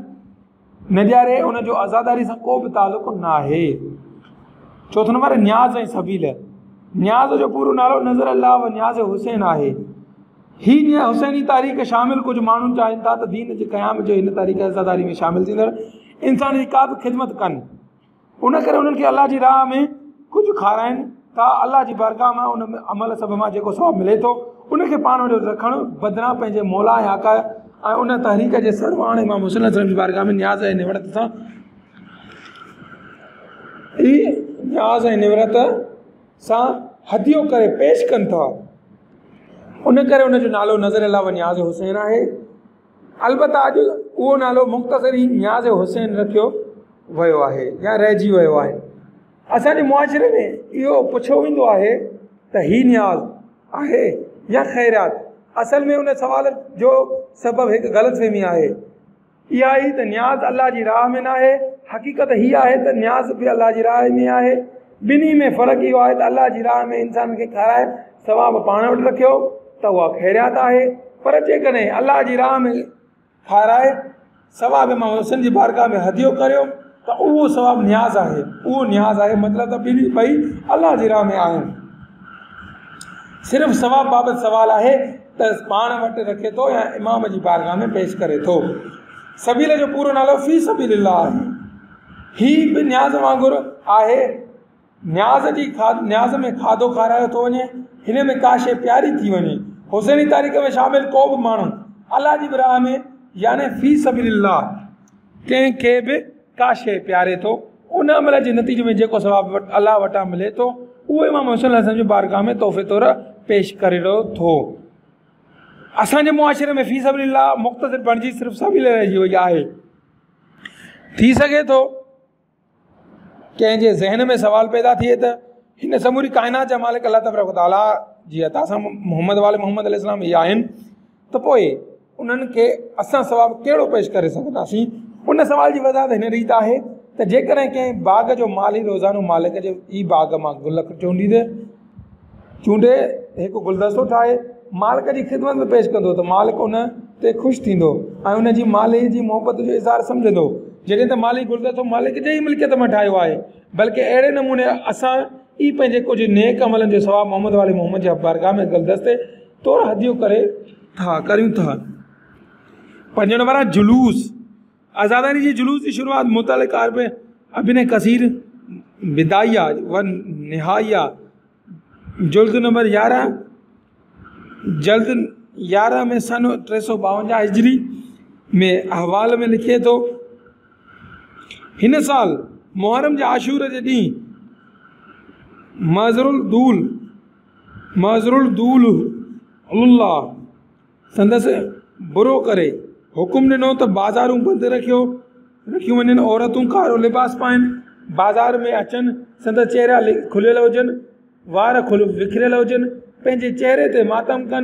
نه ڏياري ان جو عزاداري سان ڪو به تعلق ناهي. چوٿون نمبر نياز ۽ سبيل. نياز جو پورو نالو نذر الله و نياز حسين آهي. هي حسيني تاريخ شامل ڪجهه ماڻهو چاهين ٿا ته دين جي قيام جي هن تاريخ عزاداري ۾ شامل ٿيندڙ انسان جي ڪا به خدمت ڪن، ان ڪري انهن کي الله جي راهه ۾ ڪجهه کارائن ٿا. الله جي بارگاهه مان ان عمل سبب مان جيڪو ثواب ملي ٿو ان کي پاڻ وٽ رکڻ بدران پنهنجي مولا ۽ آقا ۽ ان تحريڪ جي سرواڻ امام حسين عليه السلام جي بارگاهه ۾ نياز ۽ نوڙت سان ئي نياز ۽ نوڙت سان هديو ڪري پيش ڪن ٿا. ان ڪري ان جو نالو نذر الله و نياز حسين آهي. البته اڄ اهو نالو مختصر ئي نياز حسين رکيو ويو آهي يا رهجي ويو آهي. اسان جي معاشري ۾ اهو پڇيو ويندو آهي ته هي نياز آهي يا خيرات؟ اصل ۾ ان سوال جو سبب هڪ غلط فهمي آهي. اها هي ته نياز الله جي راهه ۾ ناهي. حقيقت هي آهي ته نياز به الله جي راهه ۾ آهي. ٻنهي ۾ فرق اهو آهي ته الله جي راهه ۾ انسان کي کارائي ثواب پاڻ وٽ رکيو ته اها خيرات آهي، پر جيڪڏهن الله جي راهه ۾ کارائي ثواب امام حسين جي بارگاهه ۾ هديو ڪريو ته اهو ثواب نياز آهي، اهو نياز آهي. مطلب ته ٻنهي ٻئي الله جي راهه ۾ آهن. صرف ثواب بابت سوال آهي ته پاڻ وٽ رکي ٿو يا امام جي بارگاهه ۾ پيش ڪري ٿو. سبيل جو پورو نالو في سبيل الله آهي. هي به نياز وانگر آهي. نياز جي نياز ۾ کاڌو کارايو ٿو وڃي، هن ۾ ڪا شيء پياري ٿي وڃي. حسيني تاريخ ۾ شامل ڪو به ماڻهو الله جي راهه ۾ يعني في سبيل الله ڪنهن کي به ڪا شيء پياري ٿو، ان عمل جي نتيجي ۾ جيڪو ثواب الله وٽان ملي ٿو اهو امام حسين عليه السلام جي بارگاهه ۾ تحفي طور پيش ڪري ٿو. اسان جي معاشري ۾ في سبيل الله مختصر بڻجي صرف سبيل رهجي وئي آهي. ٿي سگهي ٿو ڪنهن جي ذهن ۾ سوال پيدا ٿئي ته هن سموري ڪائنات جا مالڪ الله تبارڪ وتعاليٰ جي عطا سان محمد وال محمد عليه السلام ئي آهن ته پوء انهن کي اسان ثواب ڪهڙو پيش ڪري سگهنداسين؟ ان سوال جي وضاحت هن ريت آهي ته جيڪڏهن ڪنهن باغ جو مالهي روزانو مالڪ جي ئي باغ مان گل چونڊيندي چونڊي هڪ گلدستو ٺاهي مالڪ جي خدمت ۾ پيش ڪندو ته مالڪ ان تي خوش ٿيندو ۽ ان جي مالهي جي محبت جو اظهار سمجهندو، جڏهن ته مالهي گلدستو مالڪ جي ئي ملڪيت مان ٺاهيو آهي. بلڪه اهڙي نموني اسان ئي پنهنجي ڪجهه نيڪ عملن جو ثواب محمد وال محمد جي بارگاهه ۾ گلدستي طور هديو ڪري ٿا ڪريون ٿا. پنجون نمبر آهي جلوس. عزاداري جي جلوس جي شروعات متعلق ابن ڪثير بدايه و نهايه جلد نمبر 11 جلد 11 ۾ سن 352 هجري ۾ احوال ۾ لکي ٿو، هن سال محرم جي عاشور جي ڏينهن معذر الدول الله سندس برو ڪري حڪم ڏنو ته بازارون بند رکيون وڃن، عورتون ڪارو لباس پائين، بازار ۾ اچن، سندس چهرا کليل هجن، وار وکريل هجن، پنهنجي چهري تي ماتم ڪن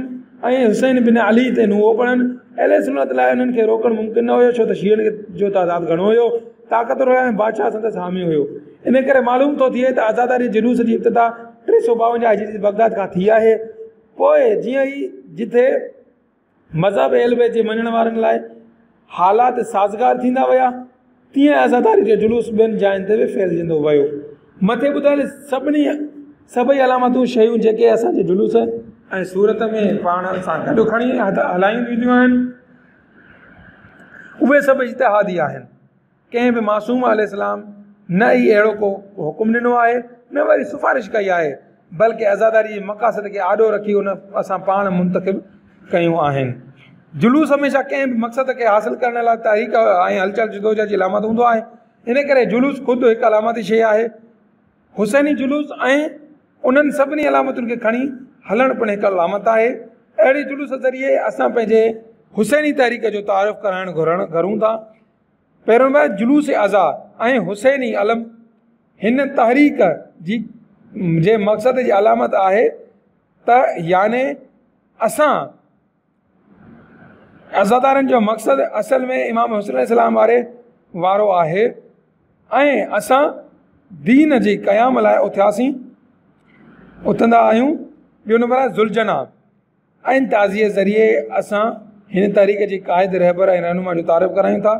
۽ حسين بن علي تي نوحو پڙهن. اهل سنت لاء انهن کي روڪڻ ممڪن نه هيو، ڇو ته شيعن جو تعداد گهڻو هيو، طاقتور هيا ۽ بادشاهه سندس حامي هيو. ان ڪري معلوم ٿو ٿئي ته عزاداري جلوس جي ابتدا 352 هجري بغداد کان ٿي آهي. پوء جيئن ئي جتي مذهب اهل بيت جي مڃڻ وارن لاء حالات سازگار ٿيندا ويا، تيئن عزاداري جو جلوس ٻين جاين تي به ڦهلجندو ويو. مٿي ٻڌايل سڀني سڀئي علامتون شيون جيڪي اسان جي جلوس ۽ صورت ۾ پاڻ سان گڏ کڻي هلايون وينديون آهن، اهي سڀ اجتهادي آهن. ڪنهن به معصوم عليه السلام نه ئي اهڙو ڪو حڪم ڏنو آهي، نه وري سفارش ڪئي آهي. بلڪه عزاداري جي مقاصد کي آڏو رکي ان اسان پاڻ منتخب ڪيون آهن. جلوس هميشه ڪنهن به مقصد کي حاصل ڪرڻ لاء تحريڪ ۽ هلچل جدوجهد جي علامت هوندو آهي. ان ڪري جلوس خود هڪ علامتي شيء آهي. حسيني جلوس ۽ انهن سڀني علامتن کي کڻي هلڻ پڻ هڪ علامت آهي. اهڙي جلوس ذريعي اسان پنهنجي حسيني تحريڪ جو تعارف ڪرائڻ گهرون ٿا. پهريون نمبر جلوس عزا ۽ حسيني علم هن تحريڪ جي جي مقصد جي علامت آهي ته يعني اسان عزادارن جو مقصد اصل ۾ امام حسين عليه السلام واري وارو آهي ۽ اسان دين جي قيام لاء اٿياسين اٿندا آهيون. ٻيو نمبر آهي ذوالجناح ۽ تعزيي ذريعي اسان هن تحريڪ جي قائد، رهبر ۽ رهنما جو تعارف ڪرايون ٿا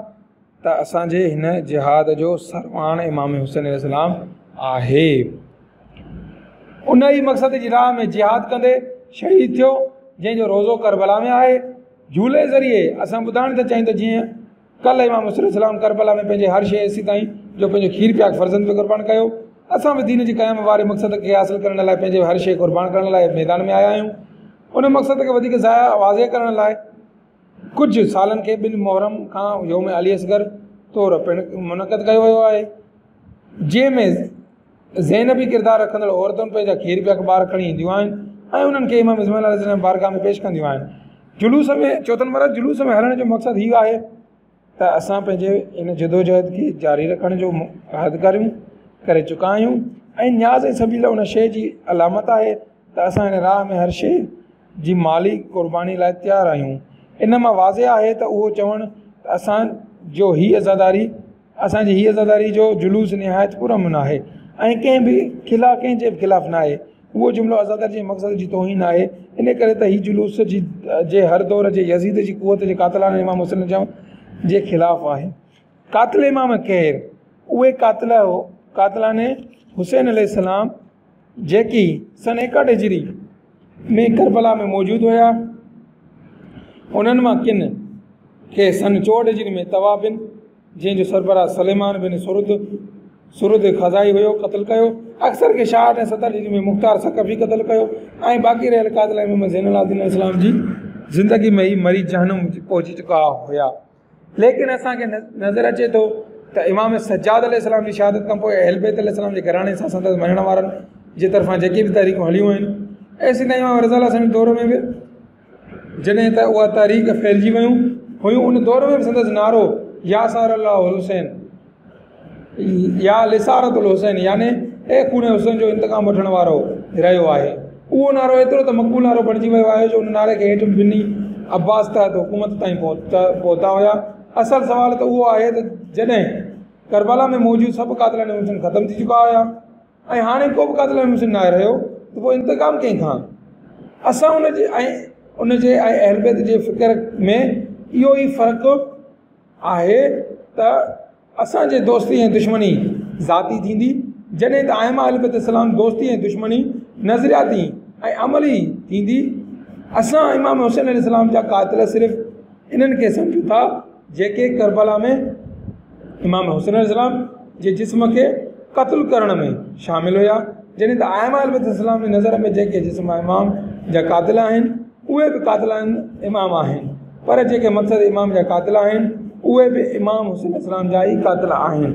ته اسان جي هن جهاد جو سرواڻ امام حسين عليه السلام آهي. ان ئي مقصد جي راهه ۾ جهاد ڪندي شهيد ٿيو، جنهن جو روضو ڪربلا ۾ آهي. جهولي ذريعي اسان ٻڌائڻ ٿا چاهيون ته جيئن ڪلهه امام حسين عليه السلام ڪربلا ۾ پنهنجي هر شيء ايسيتائين جو پنهنجو کير پياڪ فرزند به قربان ڪيو، اسان به دين جي قيام واري مقصد کي حاصل ڪرڻ لاء پنهنجي هر شيء قربان ڪرڻ لاء ميدان ۾ آيا آهيون. ان مقصد کي وڌيڪ واضح ڪرڻ لاء ڪجهه سالن کي ٻن محرم کان يوم علي اصغر طور پڻ منعقد ڪيو ويو آهي، جنهن ۾ زينبي ڪردار رکندڙ عورتون پنهنجا کير پياڪ ٻار کڻي اينديون آهن ۽ انهن کي امام حسين عليه السلام بارگاهه ۾ پيش ڪنديون آهن. جلوس ۾ چوٿون نمبر جلوس ۾ هلڻ جو مقصد هي آهي ته اسان پنهنجي ان جدوجهد کي جاري رکڻ جو عهد ڪريون ڪري چڪا آهيون ۽ نياز ۽ سبيل ان شيء جي علامت آهي ته اسان هن راهه ۾ هر شيء جي مالي قرباني لاء تيار آهيون. ان مان واضح آهي ته اهو چوڻ ته اسان جو هي عزاداري اسان جي هي عزاداري جو جلوس نهايت پرامن آهي ۽ ڪنهن به خلاف ڪنهن جي به خلاف نه آهي اهو جملو عزاداري جي مقصد جي توهين آهي ان ڪري ته هي جلوس جي جي هر دور جي يزيد جي قوت جي قاتلانه امام حسين جي خلاف آهي. قاتل امام ڪير؟ اهي قاتل قاتلان حسين عليه السلام جيڪي سن 61 هجري ۾ ڪربلا ۾ موجود هيا. انهن مان ڪن کي سن 64 هجري ۾ توابين، جنهن جو سربراهه سليمان بن سرد سرد خزائي هيو، قتل ڪيو. اڪثر کي 66 ۽ 70 هجري ۾ مختار ثقفي قتل ڪيو ۽ باقي رهيل قاتل امام زين العابدين عليه السلام جي زندگي ۾ ئي مري جهنم پهچي چڪا هيا. ليڪن اسان کي نظر اچي ٿو ته امام سجاد عليه السلام جي شهادت کان پوء اهل بيت عليه السلام جي گهراڻي سان سندس مڃڻ وارن جي طرفان جيڪي به تحريڪون هليون آهن، ايسين تائين امام رضا عليه السلام جي دور ۾ به جڏهن ته اها تحريڪ ڦهلجي ويون هيون، ان دور ۾ به سندس نعرو يا ثار الله الحسين يا لثارة الحسين يعني اي خون حسين جو انتقام وٺڻ وارو رهيو آهي. اهو نعرو ايترو ته مقبول نعرو بڻجي ويو آهي جو ان نعري کي هيٺ بني عباس تحت حڪومت تائين پهتا هيا. اصل سوال ته اهو آهي ته جڏهن ڪربلا ۾ موجود سڀ قاتلان حسين ختم ٿي چڪا هيا ۽ هاڻي ڪو به قاتلان حسين ناهي رهيو ته پوء انتقام ڪنهن کان؟ اسان ان جي ۽ ان جي ۽ اهل بيت جي فڪر ۾ اهو ئي فرق آهي ته اسان جي دوستي ۽ دشمني ذاتي ٿيندي، جڏهن ته ائمه اهل بيت السلام دوستي ۽ دشمني نظرياتي ۽ عملي ٿيندي. اسان امام حسين عليه السلام جا قاتل صرف انهن کي سمجهون ٿا جيڪي ڪربلا ۾ امام حسين عليه السلام جي جسم کي قتل ڪرڻ ۾ شامل هيا، جڏهن ته ائمه اهل بيت السلام جي نظر ۾ جيڪي جسم امام جا قاتل آهن اهي به قاتلان امام آهن، پر جيڪي مقصد امام جا قاتل آهن اهي به امام حسين عليه السلام جا ئي قاتل آهن.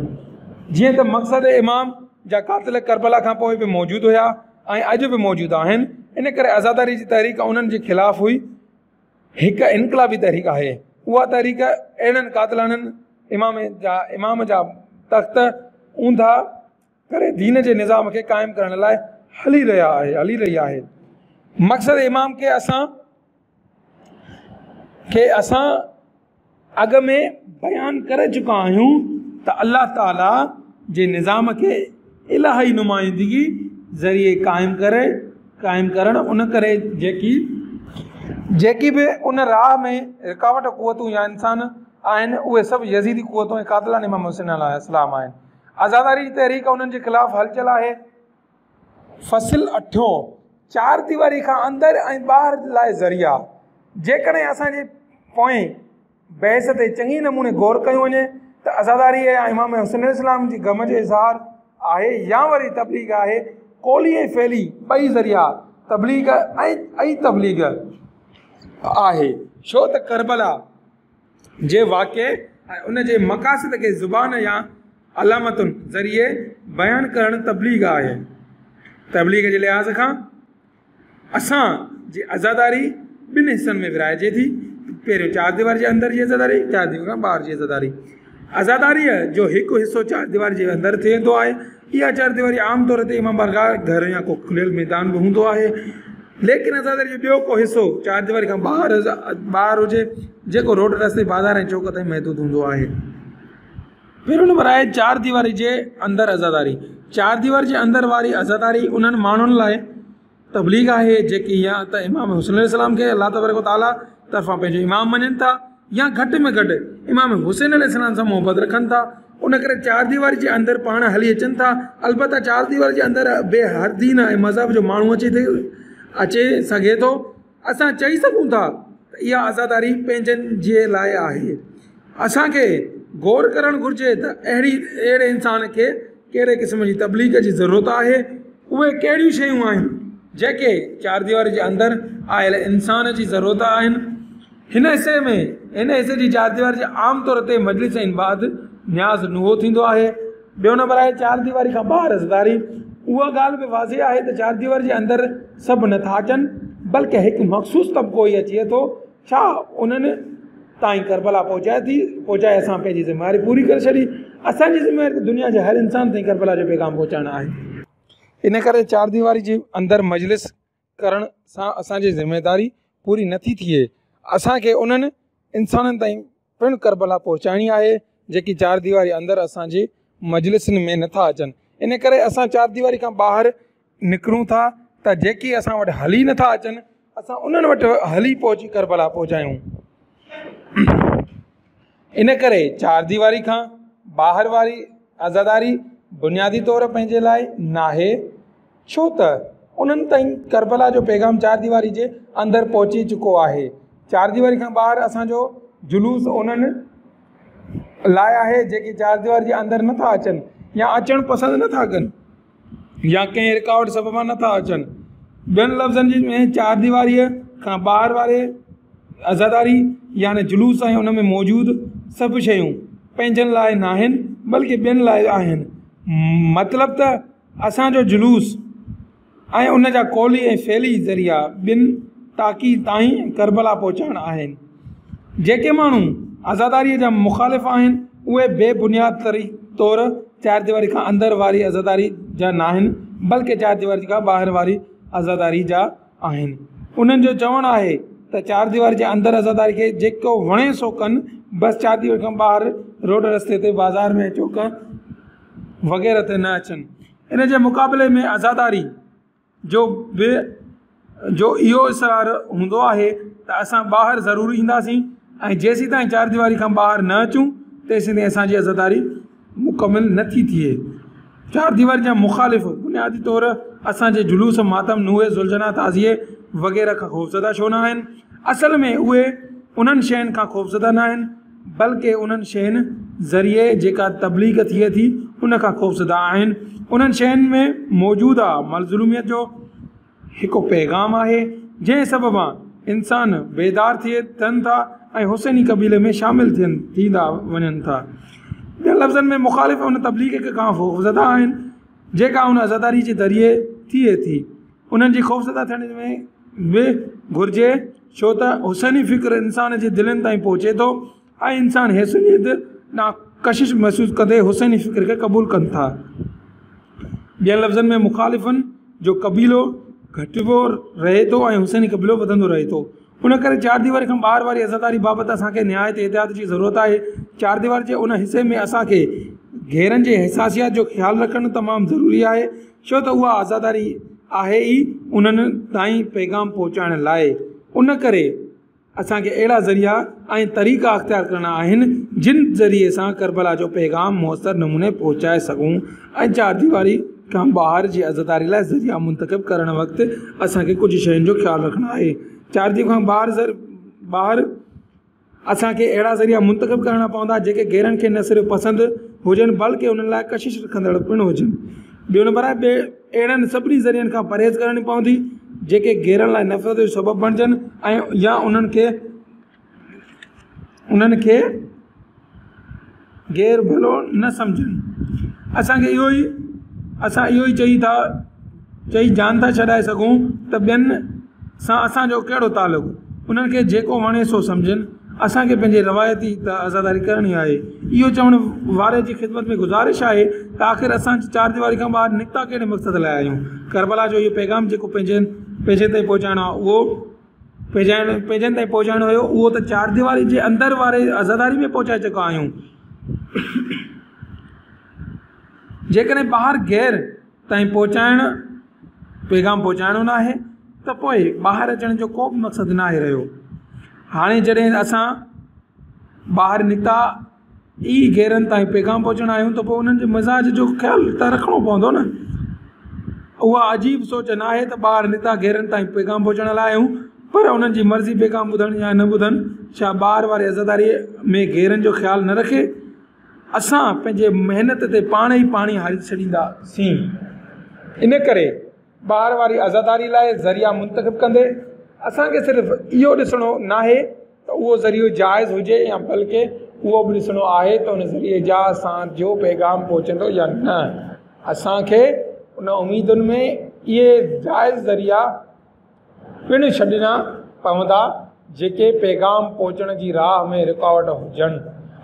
جيئن ته مقصد امام جا قاتل ڪربلا کان پوء به موجود هيا ۽ اڄ به موجود آهن، ان ڪري عزاداري جي تحريڪ انهن جي خلاف هئي. هڪ انقلابي تحريڪ آهي. اها تحريڪ اهڙن قاتلانن امام جا تخت اونڌا ڪري دين جي نظام کي قائم ڪرڻ لاء هلي رهيا آهي هلي رهي آهي. مقصد امام کي اسان کي اسان اڳ ۾ بيان ڪري چڪا آهيون ته الله تعالي جي نظام کي الاهي نمائندگي ذريعي قائم ڪري قائم ڪرڻ ان ڪري جيڪي جيڪي به ان راهه ۾ رڪاوٽ قوتون يا انسان آهن اهي سڀ يزيدي قوتون ۽ قاتلان امام حسين عليه السلام آهن. عزاداري جي تحريڪ انهن جي خلاف هلچل آهي. فصل اٺون، چار ديواري کان اندر ۽ ٻاهر لاء ذريعا. جيڪڏهن اسان جي پوئين بحث تي چڱي نموني غور ڪيو وڃي ته عزاداري يا امام حسين عليه السلام جي غم جو اظهار آهي يا وري تبليغ آهي، قولي ۽ فعلي ٻئي ذريعا تبليغ ۽ تبليغ آهي، ڇو ته ڪربلا جي واقعي ۽ ان جي مقاصد کي زبان يا علامتن ذريعي بيان ڪرڻ تبليغ آهي. تبليغ جي لحاظ کان اسان جي عزاداري ٻن حصن ۾ ورهائجي ٿي، پهريون چار ديواري جي اندر جي عزاداري، چار ديواري کان ٻاهر جي عزاداري. عزاداريء جو هڪ حصو چار ديواري جي اندر ٿيندو آهي. اها چار ديواري عام طور تي امام بارگاهه، گهر يا ڪو کليل ميدان به هوندو آهي. ليڪن عزاداري جو ٻيو ڪو حصو چار ديواري کان ٻاهر ٻاهر هجي، جيڪو روڊ رستي، بازار ۽ چوڪ تائين محدود هوندو آهي. پهريون نمبر آهي چار ديواري جي اندر عزاداري. چار ديواري جي اندر واري عزاداري انهن ماڻهن لاء تبليغ آهي جيڪي يا ته امام حسين عليه السلام کي الله تبارڪ وتعاليٰ طرفان پنهنجو امام مڃن ٿا يا گهٽ ۾ گهٽ امام حسين عليه السلام سان محبت رکن ٿا. ان ڪري چار ديواري جي اندر پاڻ هلي اچن ٿا. البته چار ديواري جي اندر به هر دين ۽ مذهب جو ماڻهو اچي اچي سگهي ٿو. اسان چئي سگهون ٿا ته اها عزاداري پنهنجن جي لاء آهي. اسان کي غور ڪرڻ گهرجي ته اهڙي اهڙي انسان کي ڪهڙي قسم جي تبليغ جي ضرورت آهي. اهي ڪهڙيون شيون آهن جيڪي چار ديواري جي اندر آيل انسان جي ضرورت آهن. هن حصي ۾ هن حصي جي چار ديواري جي عام طور تي مجلس ۽ بعد نياز نوحو ٿيندو آهي. ٻيو نمبر آهي چار ديواري کان ٻاهر عزاداري. اها ڳالهه به واضح آهي ته چار ديواري جي اندر سڀ نٿا اچن بلڪه هڪ مخصوص طبقو ئي اچي ٿو. ڇا انهن تائين ڪربلا پهچائي ٿي پهچائي اسان پنهنجي ذميواري پوري ڪري ڇڏي. اسان جي ذميواري ته دنيا جي هر انسان تائين ڪربلا جو پيغام پهچائڻ آهي. ان ڪري چار ديواري جي اندر مجلس ڪرڻ سان اسان جي ذميواري پوري نٿي ٿئي. اسان کي انهن انسانن تائين پڻ ڪربلا پهچائڻي آهي جيڪي چار ديواري اندر اسان جي مجلسن ۾ نٿا اچن. ان ڪري اسان چار ديواري کان ٻاهر نڪرون ٿا ته جيڪي اسان وٽ هلي نٿا اچن اسان انهن وٽ هلي پهچي ڪربلا پهچايون. ان ڪري چار ديواري کان ٻاهر واري عزاداري بنيادي طور پنهنجي لاء ناهي. ڇو ته انهن تائين ڪربلا جو پيغام چار ديواري جي اندر پهچي چڪو آهي. چار ديواري کان ٻاهر اسان جو جلوس انهن لاء آهي جيڪي چار ديواري جي اندر نٿا اچن يا اچڻ پسند نٿا ڪن يا ڪنهن رڪاوٽ سببان نٿا اچن. ٻين لفظن ۾ چار ديواريء کان ٻاهر واري عزاداري يعني جلوس ۽ ان ۾ موجود سڀ شيون پنهنجن لاء ناهن بلڪه ٻين لاء آهن. مطلب ته اسان جو جلوس ۽ ان جا قولي ۽ فعلي ذريعا ٻين تاڪي تائين ڪربلا پهچائڻ آهن. جيڪي ماڻهو عزاداريء جا مخالف آهن، اهي بي بنياد طور چار ديواري کان اندر واري عزاداري جا ناهن، بلڪه چار ديواري کان ٻاهر واري عزاداري جا آهن. انهن جو چوڻ آهي ته چار ديواري جي اندر عزاداري کي جيڪو وڻي سو ڪن، بس چار ديواري کان ٻاهر روڊ رستي تي، بازار ۾ چوڪ وغيره تي نه اچن. ان جي مقابلي ۾ عزاداري جو به جو اهو اصرار هوندو آهي ته اسان ٻاهر ضرور اينداسين ۽ جيسيتائين چار ديواري کان ٻاهر نه اچون تيسيتائين اسان جي عزاداري مڪمل نه ٿي ٿئي. چار ديواري جا مخالف بنيادي طور اسان جي جلوس، ماتم، نوحي، ذوالجناح، تعزيي وغيره کان خوفزده ڇو نه آهن؟ اصل ۾ اهي انهن شين کان خوفزده نه آهن. بلڪه انهن شين ذريعي جيڪا تبليغ ٿئي ٿي ان کان خوفزده آهن. انهن شين ۾ موجوده مظلوميت جو هڪ پيغام آهي جنهن سببان انسان بيدار ٿين ٿا ۽ حسيني قبيلي ۾ شامل ٿين ٿيندا وڃن ٿا. ٻين لفظن ۾ مخالف ان تبليغ کان خوفزده آهن جيڪا ان عزاداري جي ذريعي ٿئي ٿي. انهن جي خوفزده ٿيڻ ۾ به گهرجي ڇو ته حسيني فڪر انسان جي دلين تائين پهچي ٿو ۽ انسان حسينيت ڏانهن ڪشش محسوس ڪندي حسيني فڪر کي قبول ڪن ٿا. ٻين لفظن ۾ مخالفن جو قبيلو گهٽبو رهي ٿو ۽ حسيني قبيلو وڌندو رهي ٿو. ان ڪري چار ديواري کان ٻاهر واري عزاداري بابت اسان کي نهايت احتياط جي ضرورت آهي. چار ديواري جي ان حصي ۾ اسان کي غيرن جي حساسيات جو خيال رکڻ تمام ضروري آهي. ڇو ته اها عزاداري آهي ئي انهن تائين پيغام پهچائڻ لاء. ان ڪري اسان کي اهڙا ذريعا ۽ طريقا اختيار ڪرڻا آهن جن ذريعي سان ڪربلا جو پيغام موثر نموني پهچائي سگهون ۽ چار ديواري کان ٻاهر جي عزاداري لاء ذريعا منتخب ڪرڻ وقت اسان کي ڪجهه شين جو خيال رکڻو آهي. چار ديواري کان ٻاهر اسان کي اهڙا ذريعا منتخب ڪرڻا پوندا جيڪي غيرن کي نه صرف پسند هجن بلڪه انهن لاء ڪشش رکندڙ پڻ هجن. ٻيو نمبر آهي اهڙن سڀني ذريعن کان پرهيز ڪرڻي پوندي، جيڪي غيرن لاء نفرت جو سبب بڻجن ۽ يا انهن کي انهن کي غير ڀلو نه سمجهن. اسان کي اهو ئي اسان اهو ئي چئي ٿا چئي جان ٿا ڇڏائي سگهون ته ٻين سان اسان جو ڪهڙو تعلق؟ انهن کي جيڪو وڻي سو سمجهن. اسان کي پنهنجي روايتي عزاداري ڪرڻي آهي. اهو چوڻ واري جي خدمت ۾ گذارش آهي ته آخر اسان چارديواري کان ٻاهر نڪتا ڪهڙي مقصد لاء آهيون؟ ڪربلا جو اهو پيغام جيڪو پنهنجن پنهنجن تائين پهچائڻو آهي اهو پنهنجن پنهنجن تائين پهچائڻو هيو اهو ته چارديواري جي اندر واري عزاداري ۾ پهچائي چڪا آهيون. جيڪڏهن ٻاهر غير تائين پهچائڻ پيغام پهچائڻو ناهي ته پوء ٻاهر اچڻ جو ڪو به مقصد ناهي رهيو. هاڻي جڏهن اسان ٻاهر نڪتا ئي غيرن تائين پيغام پهچائڻ آهيون ته پوء انهن جي مزاج جو خيال ته رکڻو پوندو نه. اها عجيب سوچ ناهي ته ٻاهر نڪتا غيرن تائين پيغام پهچائڻ لاء آهيون پر انهن جي مرضي پيغام ٻڌڻ يا نه ٻڌن. ڇا ٻاهر واري عزاداريء ۾ غيرن جو خيال نه رکي اسان پنهنجي محنت تي پاڻ ئي پاڻي هاري ڇڏينداسين. ان ڪري ٻاهر واري عزاداري لاء ذريعا منتخب ڪندي اسان کي صرف اهو ڏسڻو ناهي ته اهو ذريعو جائز هجي يا بلڪه اهو به ڏسڻو آهي ته ان ذريعي جا اسان جو پيغام پهچندو يا نه. اسان کي ان اميدن ۾ اهي جائز ذريعا پڻ ڇڏڻا پوندا جيڪي پيغام پهچڻ جي راهه ۾ رڪاوٽ هجن.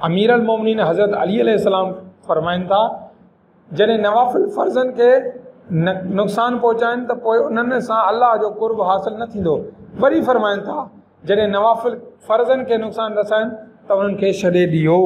امير المومنين حضرت علي عليه السلام فرمائن ٿا، جڏهن نوافل فرضن کي نقصان پهچائن ته پوء انهن سان الله جو قرب حاصل نه ٿيندو. وري فرمائن ٿا، جڏهن نوافل فرضن کي نقصان رسائن ته انهن کي ڇڏي ڏيو.